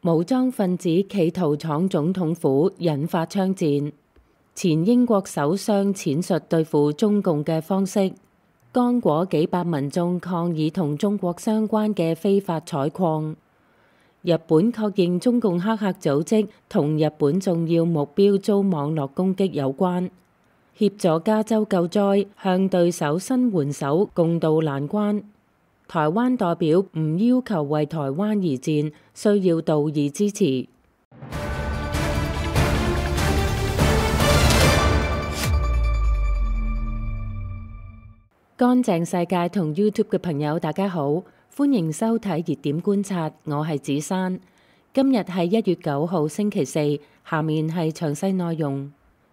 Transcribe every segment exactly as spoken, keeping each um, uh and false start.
武裝分子企圖闖總統府，引發槍戰。前英國首相闡述對付中共嘅方式。剛果幾百民眾抗議同中國相關嘅非法採礦。日本確認中共黑客組織同日本重要目標遭網絡攻擊有關。協助加州救災，向對手伸援手，共度難關。台灣代表唔要求為台灣而戰，需要道義支持。乾淨世界同 YouTube 嘅朋友大家好，歡迎收睇熱點觀察，我係子珊。今日係一月九號星期四，下面係詳細內容。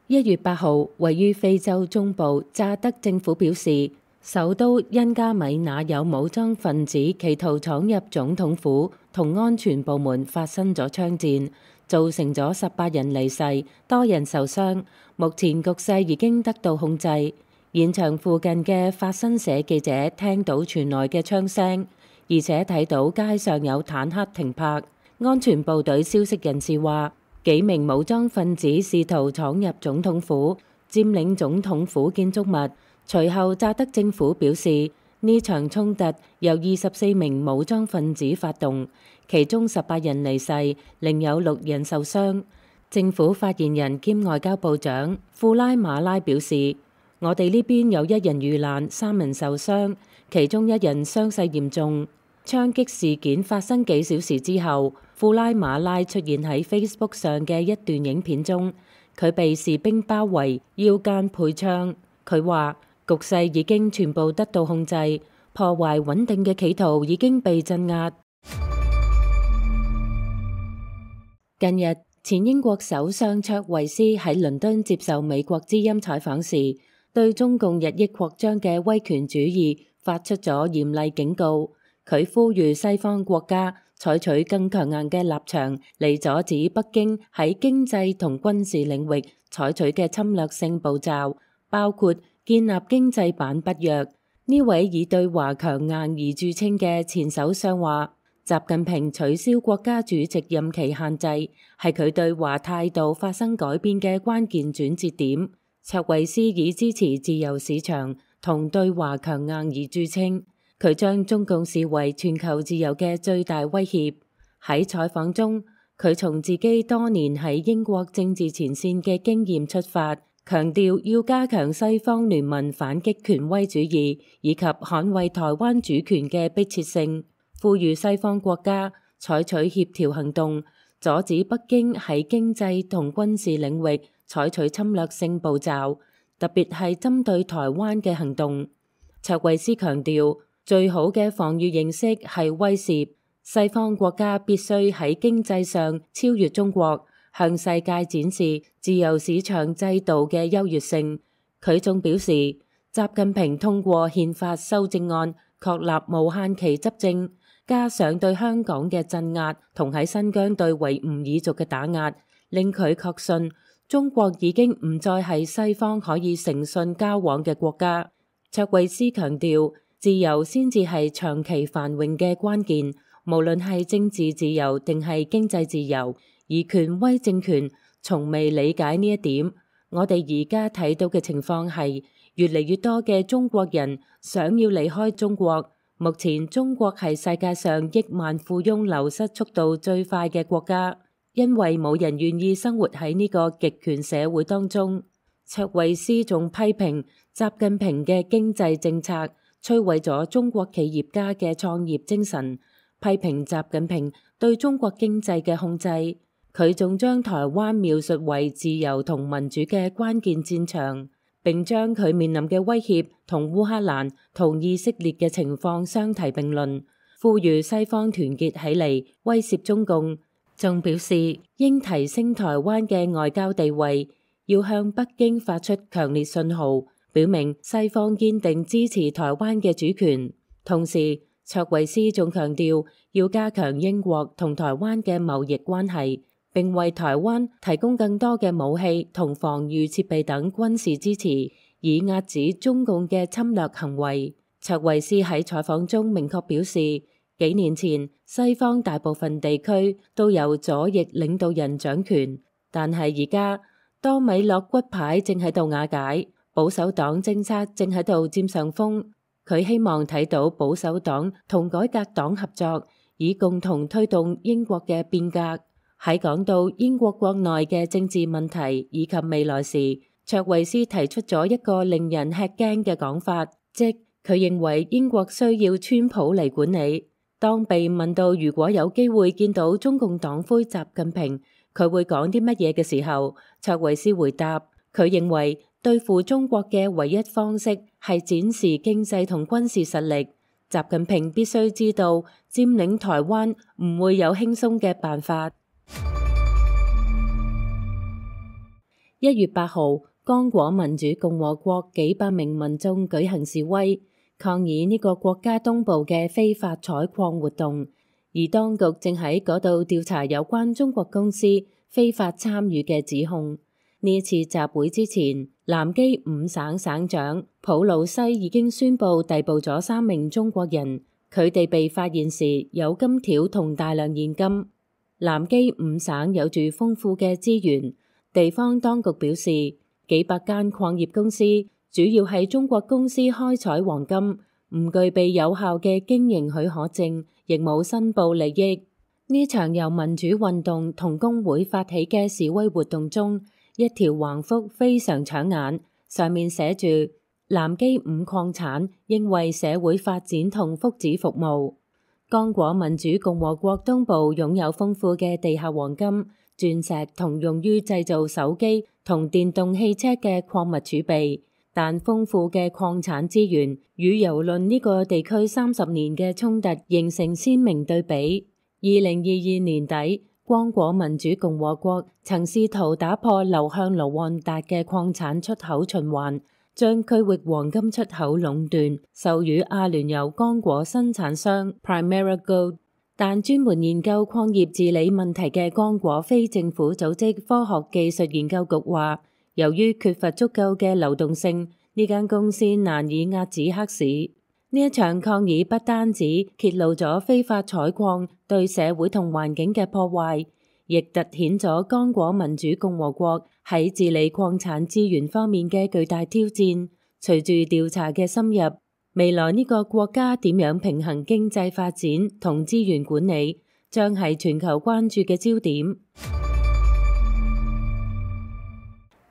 一月八號，位於非洲中部乍得政府表示，首都恩加米那有武裝分子企圖闖入總統府，同安全部門發生咗槍戰，造成咗十八人離世，多人受傷。目前局勢已經得到控制。現場附近嘅法新社記者聽到傳來嘅槍聲，而且睇到街上有坦克停泊。安全部隊消息人士話，幾名武裝分子試圖闖入總統府，佔領總統府建築物。隨後，乍得政府表示，呢場衝突由二十四名武裝分子發動，其中十八人離世，另有六人受傷。政府發言人兼外交部長庫拉馬拉表示，我哋呢邊有一人遇難，三人受傷，其中一人傷勢嚴重。槍擊事件發生幾小時之後，庫拉馬拉出現喺 Facebook 上嘅一段影片中，佢被士兵包圍，腰間配槍。佢話，局勢已經全部得到控制，破壞穩定嘅企圖已經被鎮壓。近日，前英國首相卓慧思喺倫敦接受美國之音採訪時，對中共日益擴張嘅威權主義發出咗嚴厲警告。佢呼籲西方國家採取更強硬嘅立場嚟阻止北京喺經濟同軍事領域採取嘅侵略性步驟，包括建立經濟版北約。呢位以對華強硬而著稱嘅前首相話，習近平取消國家主席任期限制係佢對華態度發生改變嘅關鍵轉折點。卓慧思以支持自由市場同對華強硬而著稱，佢將中共視為全球自由嘅最大威脅。喺採訪中，佢從自己多年喺英國政治前線嘅經驗出發，強調要加強西方聯盟反擊權威主義以及捍衛台灣主權嘅迫切性，呼籲西方國家採取協調行動，阻止北京喺經濟同軍事領域採取侵略性步驟，特別係針對台灣嘅行動。卓慧思強調，最好嘅防禦形式係威懾，西方國家必須喺經濟上超越中國，向世界展示自由市場制度嘅優越性。佢仲表示，習近平通過憲法修正案確立無限期執政，加上對香港嘅鎮壓同喺新疆對維吾爾族嘅打壓，令佢確信中國已經唔再係西方可以誠信交往嘅國家。卓慧思強調，自由先至係長期繁榮嘅關鍵，無論係政治自由定係經濟自由。而權威政權從未理解呢一點。我哋而家睇到嘅情況係，越嚟越多嘅中國人想要離開中國。目前中國係世界上億萬富翁流失速度最快嘅國家，因為冇人願意生活喺呢個極權社會當中。卓慧思仲批評習近平嘅經濟政策摧毀咗中國企業家嘅創業精神，批評習近平對中國經濟嘅控制。佢仲將台灣描述為自由同民主嘅關鍵戰場，並將佢面臨嘅威脅同烏克蘭同以色列嘅情況相提並論，呼籲西方團結起嚟威懾中共。仲表示應提升台灣嘅外交地位，要向北京發出強烈信號，表明西方堅定支持台灣嘅主權。同時，卓慧思仲強調要加強英國同台灣嘅貿易關係，並為台灣提供更多嘅武器同防禦設備等軍事支持，以壓止中共嘅侵略行為。卓慧思喺採訪中明確表示，幾年前，西方大部分地區都由左翼領導人掌權，但係而家多米諾骨牌正喺度瓦解，保守黨政策正喺度佔上風。佢希望睇到保守黨同改革黨合作，以共同推動英國嘅變革。喺講到英國國內嘅政治問題以及未來時，卓慧思提出咗一個令人吃驚嘅講法，即佢認為英國需要川普嚟管理。當被問到如果有機會見到中共黨魁習近平，佢會講啲乜嘢嘅時候，卓慧思回答，佢認為對付中國嘅唯一方式係展示經濟同軍事實力。習近平必須知道佔領台灣唔會有輕鬆嘅辦法。一月八號，剛果民主共和國幾百名民眾舉行示威，抗議呢個國家東部嘅非法採礦活動，而當局正喺嗰度調查有關中國公司非法參與嘅指控。呢次集會之前，南基五省省長普魯西已經宣布逮捕咗三名中國人，佢哋被發現時有金條同大量現金。南基五省有住豐富嘅資源，地方當局表示，幾百間礦業公司主要係中國公司開採黃金，唔具備有效嘅經營許可證，亦冇申報利益。呢場由民主運動同工會發起嘅示威活動中，一條橫幅非常搶眼，上面寫住南基五礦產應為社會發展同福祉服務。剛果民主共和國東部擁有豐富嘅地下黃金、鑽石同用於製造手機同電動汽車嘅礦物儲備，但豐富嘅礦產資源與蹂躪呢個地區三十年嘅衝突形成鮮明對比。二零二二年底，剛果民主共和國曾試圖打破流向盧旺達嘅礦產出口循環，將區域黃金出口壟斷授予阿聯酋剛果生產商 Primera Gold， 但專門研究礦業治理問題嘅剛果非政府組織科學技術研究局話，由於缺乏足夠嘅流動性，呢間公司難以遏止黑市。呢一場抗議不單止揭露咗非法採礦對社會同環境嘅破壞，亦凸顯咗剛果民主共和國喺治理礦產資源方面嘅巨大挑戰。隨住調查嘅深入，未來呢個國家點樣平衡經濟發展同資源管理，將係全球關注嘅焦點。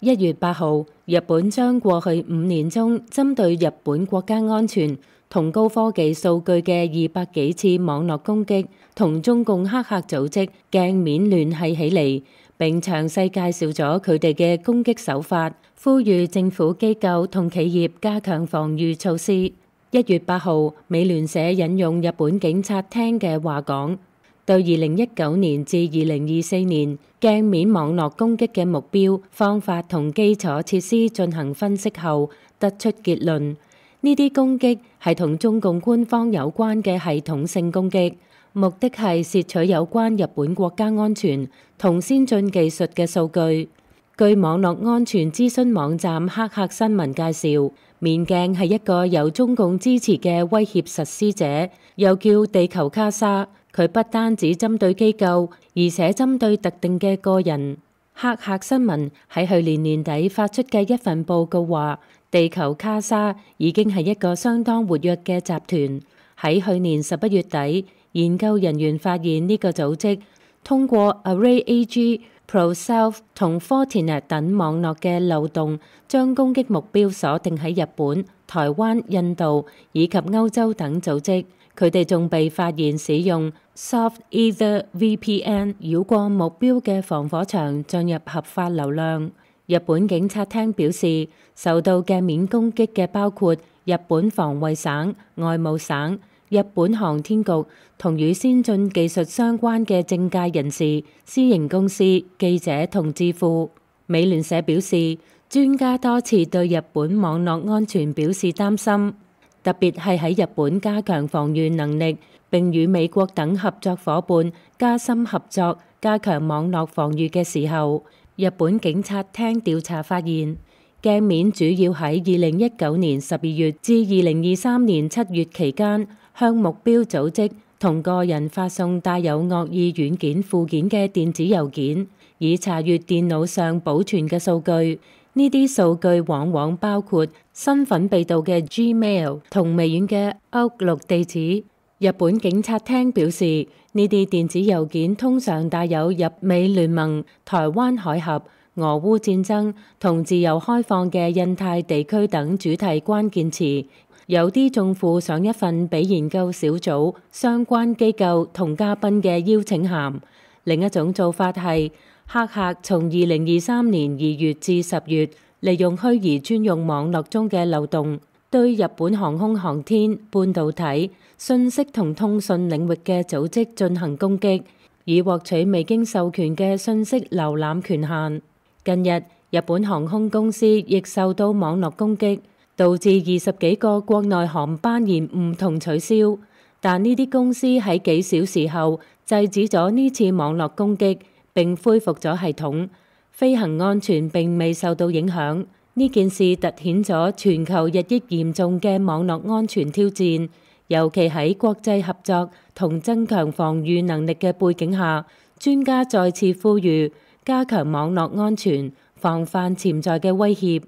一月八號，日本將過去五年中針對日本國家安全同高科技數據嘅二百幾次網絡攻擊同中共黑客組織鏡面聯繫起嚟，並詳細介紹咗佢哋嘅攻擊手法，呼籲政府機構同企業加強防禦措施。一月八號，美聯社引用日本警察廳嘅話講，對二零一九年至二零二四年鏡面網絡攻擊嘅目標、方法同基礎設施進行分析後，得出結論。呢啲攻擊係同中共官方有關嘅系統性攻擊，目的係竊取有關日本國家安全同先進技術嘅數據。據網絡安全諮詢網站黑客新聞介紹，面鏡係一個由中共支持嘅威脅實施者，又叫地球卡莎。佢不單止針對機構，而且針對特定嘅個人。黑客新聞喺去年年底發出嘅一份報告話，地球卡莎已經係一個相當活躍嘅集團。喺去年十一月底，研究人員發現呢個組織通過 ArrayAG、ProSelf 同 Fortinet 等網絡嘅漏洞，將攻擊目標鎖定喺日本、台灣、印度以及歐洲等組織。佢哋仲被發現使用 Soft-Ether V P N 繞過目標嘅防火牆進入合法流量。日本警察廳表示，受到鏡面攻擊嘅包括日本防衛省、外務省、日本航天局同與先進技術相關嘅政界人士、私營公司、記者同智庫。美聯社表示，專家多次對日本網絡安全表示擔心，特別係喺日本加強防禦能力，並與美國等合作夥伴加深合作、加強網絡防禦嘅時候。日本警察廳調查發現，鏡面主要喺二零一九年十二月至二零二三年七月期間，向目標組織同個人發送帶有惡意軟件附件嘅電子郵件，以查閱電腦上保存嘅數據。呢啲數據往往包括身份被盜嘅 Gmail 同微軟嘅 Outlook 地址。日本警察廳表示，呢啲電子郵件通常帶有日美聯盟、台灣海峽、俄烏戰爭同自由開放嘅印太地區等主題關鍵詞，有啲仲附上一份俾研究小組、相關機構同嘉賓嘅邀請函。另一種做法係，黑客從二零二三年二月至十月，利用虛擬專用網絡中嘅漏洞，對日本航空航天、半導體、信息同通訊領域嘅組織進行攻擊，以獲取未經授權嘅信息瀏覽權限。近日，日本航空公司亦受到網絡攻擊，導致二十幾個國內航班延誤同取消。但呢啲公司喺幾小時後制止咗呢次網絡攻擊，並恢復咗系統，飛行安全並未受到影響。呢件事凸顯咗全球日益嚴重嘅網絡安全挑戰，尤其喺國際合作同增強防禦能力嘅背景下，專家再次呼籲加強網絡安全，防範潛在嘅威脅。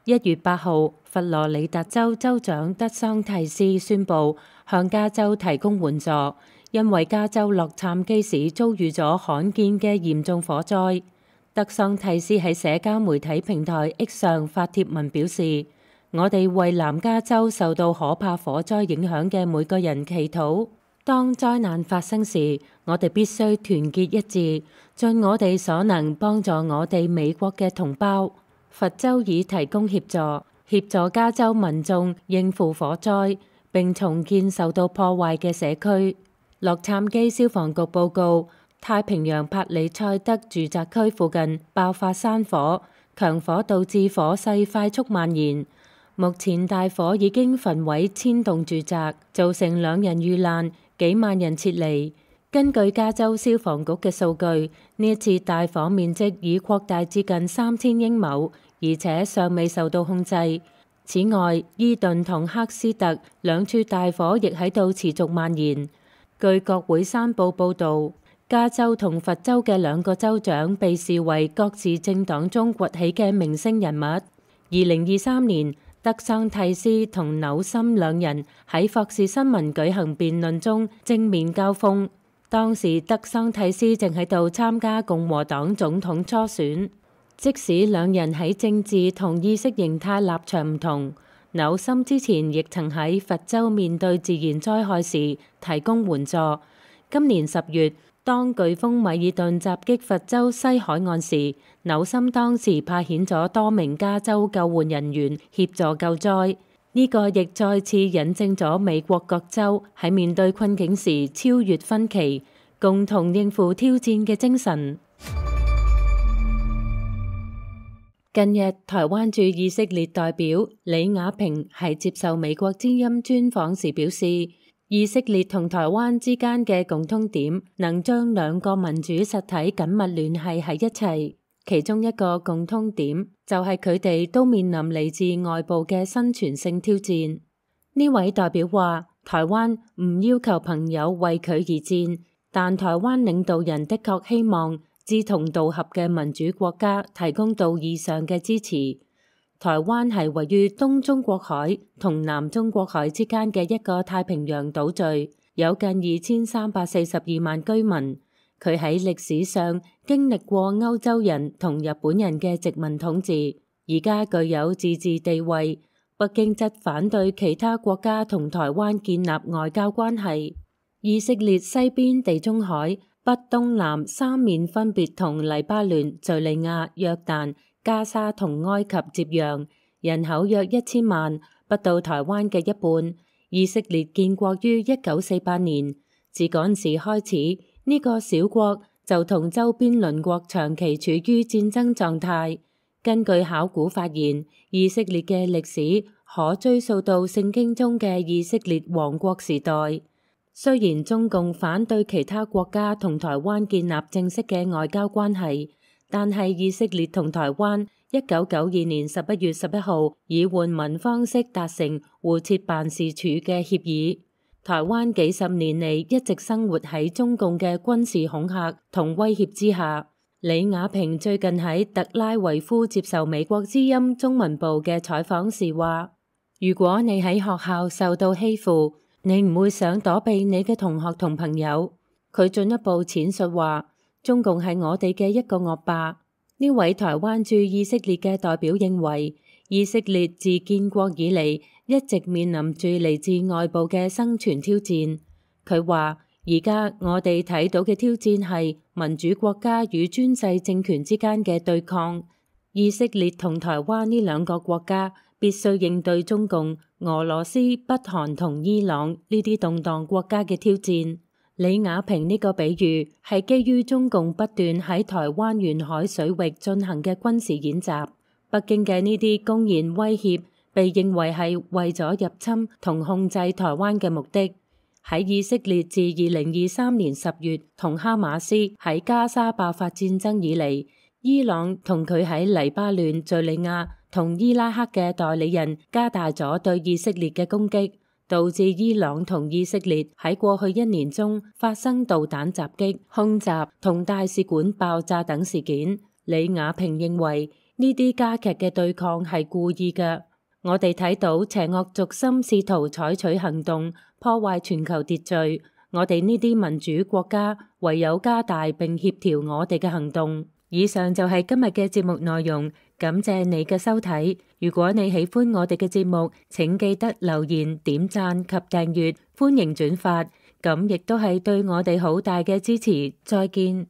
一月八號，佛羅里達州州長德桑蒂斯宣布向加州提供援助，因為加州洛杉磯市遭遇咗罕見嘅嚴重火災。德桑蒂斯喺社交媒體平台 X 上發帖文表示：我哋為南加州受到可怕火災影響嘅每個人祈禱。當災難發生時，我哋必須團結一致，盡我哋所能幫助我哋美國嘅同胞。佛州已提供協助，協助加州民眾應付火災，並重建受到破壞嘅社區。洛杉磯消防局報告，太平洋帕里塞德住宅區附近爆發山火，強火導致火勢快速蔓延。目前大火已經焚毀千棟住宅，造成兩人遇難，幾萬人撤離。根據加州消防局嘅數據，呢一次大火面積已擴大至近三千英畝，而且尚未受到控制。此外，伊頓同赫斯特兩處大火亦喺度持續蔓延。據國會山報報導，加州同佛州嘅兩個州長被視為各自政黨中崛起嘅明星人物。二零二三年，德桑蒂斯同紐森兩人喺霍士新聞舉行辯論中正面交鋒。當時德桑蒂斯正喺度參加共和黨總統初選。即使兩人喺政治同意識形態立場唔同，紐森之前亦曾喺佛州面對自然災害時提供援助。今年十月，當颶風米爾頓襲擊佛州西海岸時，紐森當時派遣咗多名加州救援人員協助救災。呢個亦再次引證咗美國各州喺面對困境時超越分歧，共同應付挑戰嘅精神。近日，台灣駐以色列代表李雅萍喺接受美國之音專訪時表示，以色列同台灣之間嘅共通點能將兩個民主實體緊密聯繫喺一齊。其中一個共通點就係佢哋都面臨嚟自外部嘅生存性挑戰。呢位代表話，台灣唔要求朋友為佢而戰，但台灣領導人的確希望志同道合嘅民主國家提供到以上嘅支持。台灣係位於東中國海同南中國海之間嘅一個太平洋島嶼，有近二千三百四十二萬居民。佢喺歷史上經歷過歐洲人同日本人嘅殖民統治，而家具有自治地位。北京則反對其他國家同台灣建立外交關係。以色列西邊地中海、北東南三面分別同黎巴嫩、敘利亞、約旦、加沙同埃及接壤，人口約一千萬，不到台灣嘅一半。以色列建國於一九四八年，自嗰時開始，呢個小國就同周邊鄰國長期處於戰爭狀態。根據考古發現，以色列嘅歷史可追溯到聖經中嘅以色列王國時代。雖然中共反對其他國家同台灣建立正式嘅外交關係，但係以色列同台灣一九九二年十一月十一號以換文方式達成互設辦事處嘅協議。台灣幾十年嚟一直生活喺中共嘅軍事恐嚇同威脅之下。李雅萍最近喺特拉維夫接受美國之音中文部嘅採訪時話：如果你喺學校受到欺負，你唔會想躲避你嘅同學同朋友。佢進一步闡述話：中共係我哋嘅一個惡霸。呢位台灣駐以色列嘅代表認為，以色列自建國以嚟一直面臨住嚟自外部嘅生存挑戰。佢話：而家我哋睇到嘅挑戰係民主國家與專制政權之間嘅對抗。以色列同台灣呢兩個國家必須應對中共、俄羅斯、北韓同伊朗呢啲動盪國家嘅挑戰。李雅萍呢個比喻係基於中共不斷喺台灣沿海水域進行嘅軍事演習。北京嘅呢啲公然威脅被認為係為咗入侵同控制台灣嘅目的。喺以色列自二零二三年十月同哈馬斯喺加沙爆發戰爭以嚟，伊朗同佢喺黎巴嫩、敘利亞同伊拉克嘅代理人加大咗對以色列嘅攻擊，導致伊朗同以色列喺過去一年中發生導彈襲擊、空襲同大使館爆炸等事件。李雅萍認為呢啲加劇嘅對抗係故意嘅。我哋睇到邪惡軸心試圖採取行動破壞全球秩序，我哋呢啲民主國家唯有加大並協調我哋嘅行動。以上就係今日嘅節目內容，感謝你嘅收睇。如果你喜歡我哋嘅節目，請記得留言、點讚及訂閱，歡迎轉發，咁亦都係對我哋好大嘅支持。再見。